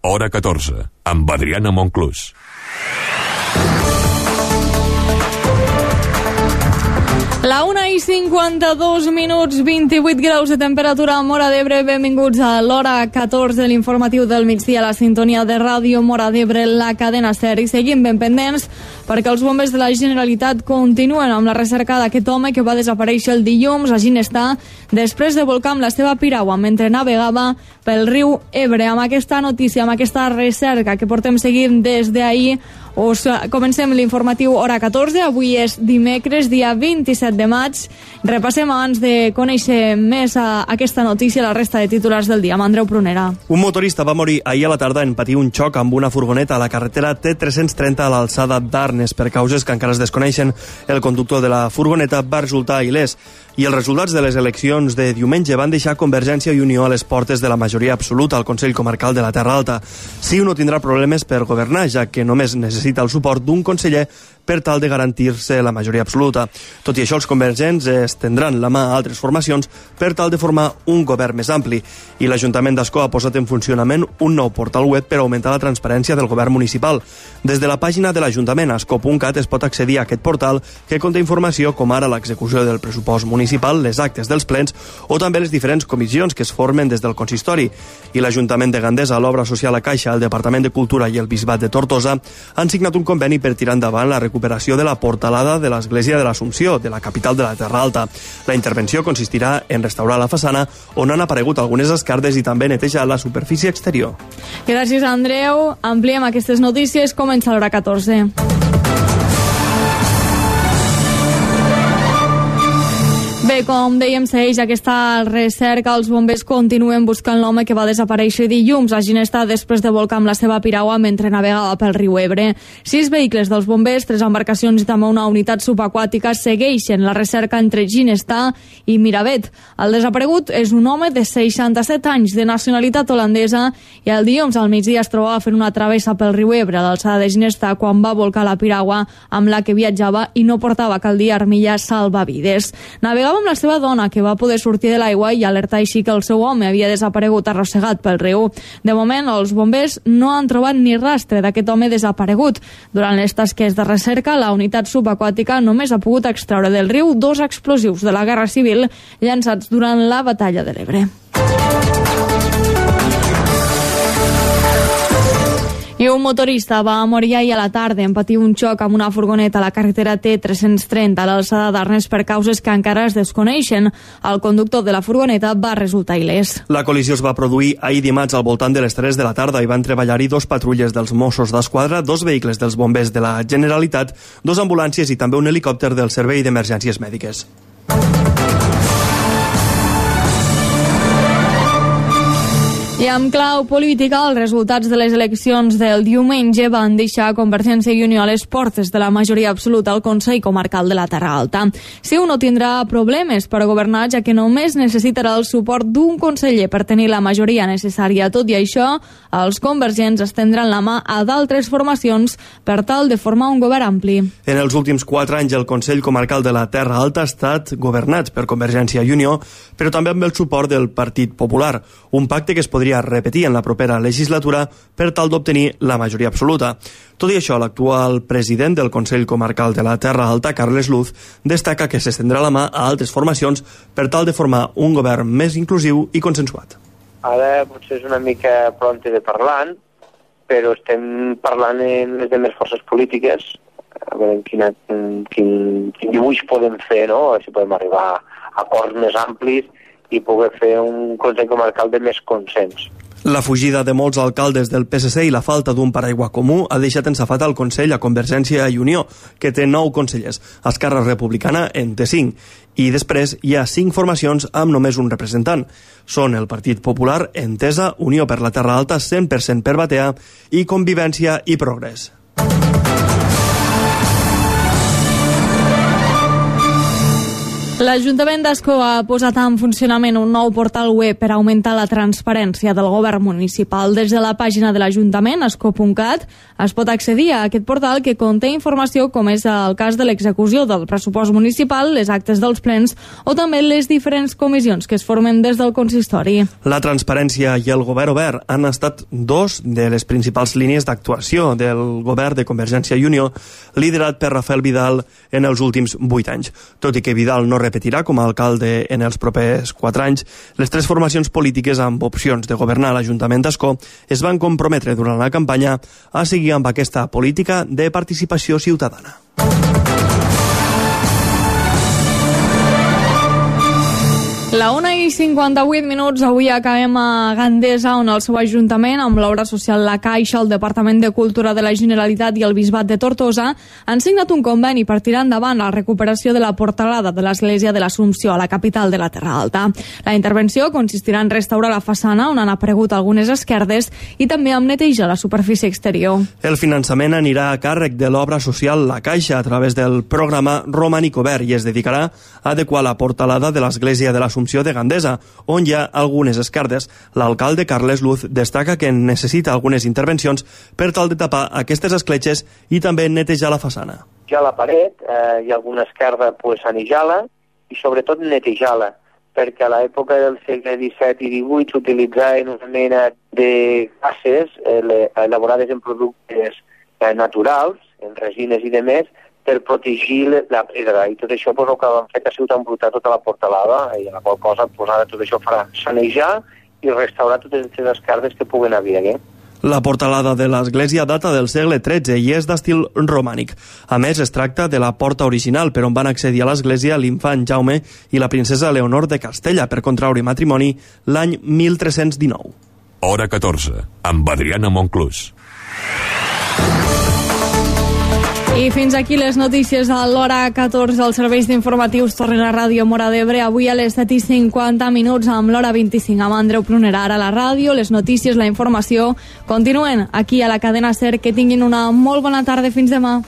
Hora 14, amb Adriana Monclús. La 1:52, 28 graus de temperatura a Móra d'Ebre. Benvinguts a l'hora 14 de l'informatiu del migdia a la sintonia de ràdio Móra d'Ebre, la cadena SER. I seguim ben pendents perquè els bombers de la Generalitat continuen amb la recerca d'aquest home que va desaparèixer el dilluns a Ginestar després de volcar amb la seva piragua mentre navegava pel riu Ebre. Amb aquesta notícia, amb aquesta recerca que portem seguint des d'ahir, comencem l'informatiu hora 14. Avui és dimecres, dia 27 de maig. Repassem abans de conèixer més aquesta notícia la resta de titulars del dia. Amb Andreu Prunera. Un motorista va morir ahir a la tarda en patir un xoc amb una furgoneta a la carretera T330 a l'alçada d'Arnes. Per causes que encara es desconeixen, el conductor de la furgoneta va resultar il·lès. I els resultats de les eleccions de diumenge van deixar Convergència i Unió a les portes de la majoria absoluta al Consell Comarcal de la Terra Alta. CiU no tindrà problemes per governar, ja que només necessita el suport d'un conseller per tal de garantir-se la majoria absoluta. Tot i això, els convergents estendran la mà a altres formacions per tal de formar un govern més ampli. I l'Ajuntament d'Ascó ha posat en funcionament un nou portal web per augmentar la transparència del govern municipal. Des de la pàgina de l'Ajuntament, ascó.cat, es pot accedir a aquest portal que conté informació com ara l'execució del pressupost municipal, les actes dels plens o també les diferents comissions que es formen des del consistori. I l'Ajuntament de Gandesa, l'Obra Social a Caixa, el Departament de Cultura i el Bisbat de Tortosa han signat un conveni per tirar endavant la recuperació de la portalada de l'Església de l'Assumpció, de la capital de la Terra Alta. La intervenció consistirà en restaurar la façana on han aparegut algunes escardes i també netejar la superfície exterior. Gràcies, Andreu. Ampliem aquestes notícies. Comença l'hora 14. Bé, com dèiem, segueix aquesta recerca. Els bombers continuen buscant l'home que va desaparèixer dilluns a Ginestar després de volcar amb la seva piragua mentre navegava pel riu Ebre. 6 vehicles dels bombers, 3 embarcacions i també una unitat subaquàtica segueixen la recerca entre Ginestar i Miravet. El desaparegut és un home de 67 anys, de nacionalitat holandesa, i el dilluns al migdia es trobava fent una travessa pel riu Ebre a l'alçada de Ginestar quan va volcar la piragua amb la que viatjava i no portava, cal dir, armilles salvavides. Navegava amb la seva dona, que va poder sortir de l'aigua i alertar així que el seu home havia desaparegut arrossegat pel riu. De moment, els bombers no han trobat ni rastre d'aquest home desaparegut. Durant les tasques de recerca, la unitat subaquàtica només ha pogut extraure del riu 2 explosius de la Guerra Civil llançats durant la Batalla de l'Ebre. I un motorista va morir ahir a la tarda en patir un xoc amb una furgoneta a la carretera T330 a l'alçada d'Arnes per causes que encara es desconeixen. El conductor de la furgoneta va resultar il·lès. La col·lisió es va produir ahir dimarts al voltant de les 3 de la tarda i van treballar-hi 2 patrulles dels Mossos d'Esquadra, 2 vehicles dels bombers de la Generalitat, 2 ambulàncies i també un helicòpter del Servei d'Emergències Mèdiques. I amb clau política, els resultats de les eleccions del diumenge van deixar Convergència i Unió a les portes de la majoria absoluta al Consell Comarcal de la Terra Alta. CiU no tindrà problemes per governar, ja que només necessitarà el suport d'un conseller per tenir la majoria necessària. Tot i això, els convergents estendran la mà a d'altres formacions per tal de formar un govern ampli. En els últims 4 anys, el Consell Comarcal de la Terra Alta ha estat governat per Convergència i Unió, però també amb el suport del Partit Popular, un pacte que es podria repetir en la propera legislatura per tal d'obtenir la majoria absoluta. Tot i això, l'actual president del Consell Comarcal de la Terra Alta, Carles Luz, destaca que s'estendrà la mà a altres formacions per tal de formar un govern més inclusiu i consensuat. Ara potser és una mica pronte de parlar, però estem parlant amb les demés forces polítiques, a veure quin dibuix podem fer, no? Si podem arribar a acords més amplis i poder fer un Consell Comarcal de més consens. La fugida de molts alcaldes del PSC i la falta d'un paraigua comú ha deixat ensafat al Consell a Convergència i Unió, que té 9 consellers. Esquerra Republicana en té 5. I després hi ha 5 formacions amb només un representant. Són el Partit Popular, Entesa, Unió per la Terra Alta, 100% per Batea i Convivència i Progrés. L'Ajuntament d'Ascó ha posat en funcionament un nou portal web per augmentar la transparència del govern municipal. Des de la pàgina de l'Ajuntament, ascó.cat, es pot accedir a aquest portal que conté informació com és el cas de l'execució del pressupost municipal, les actes dels plens o també les diferents comissions que es formen des del consistori. La transparència i el govern obert han estat dos de les principals línies d'actuació del govern de Convergència i Unió, liderat per Rafael Vidal en els últims 8 anys. Tot i que Vidal no repetirà com a alcalde en els propers 4 anys, les tres formacions polítiques amb opcions de governar l'Ajuntament d'Ascó es van comprometre durant la campanya a seguir amb aquesta política de participació ciutadana. La 1:58, avui acabem a Gandesa, on el seu Ajuntament, amb l'obra social La Caixa, el Departament de Cultura de la Generalitat i el Bisbat de Tortosa, han signat un conveni per tirar endavant la recuperació de la portalada de l'Església de l'Assumpció, a la capital de la Terra Alta. La intervenció consistirà en restaurar la façana, on han aparegut algunes esquerdes, i també en netejar la superfície exterior. El finançament anirà a càrrec de l'obra social La Caixa a través del programa Romànic Obert i es dedicarà a adequar la portalada de l'Església de l'Assumpció de Gandesa, on hi ha algunes esquerdes. L'alcalde Carles Luz destaca que necessita algunes intervencions per tal de tapar aquestes escletxes i també netejar la façana. Ja a la paret hi ha alguna esquerda sanejar-la i sobretot netejar-la, perquè a l'època del segle XVII i XVIII s'utilitzaven una mena de cases elaborades en productes naturals, en resines i demés, per protegir la pedra, i tot això el que han fet ha sigut embrutar tota la portalada, i a la qual cosa ara tot això farà sanejar i restaurar totes les esquerdes que puguen haver. La portalada de l'església data del segle XIII i és d'estil romànic. A més, es tracta de la porta original per on van accedir a l'església l'infant Jaume i la princesa Leonor de Castella per contraure matrimoni l'any 1319. Hora 14, amb Adriana Monclús. I fins aquí les notícies a l'hora 14 dels serveis d'informatius tornen a Ràdio Móra d'Ebre avui a les 7:50 amb l'hora 25 amb Andreu Prunerà. Ara a la ràdio, les notícies, la informació continuen aquí a la cadena SER. Que tinguin una molt bona tarda. Fins demà.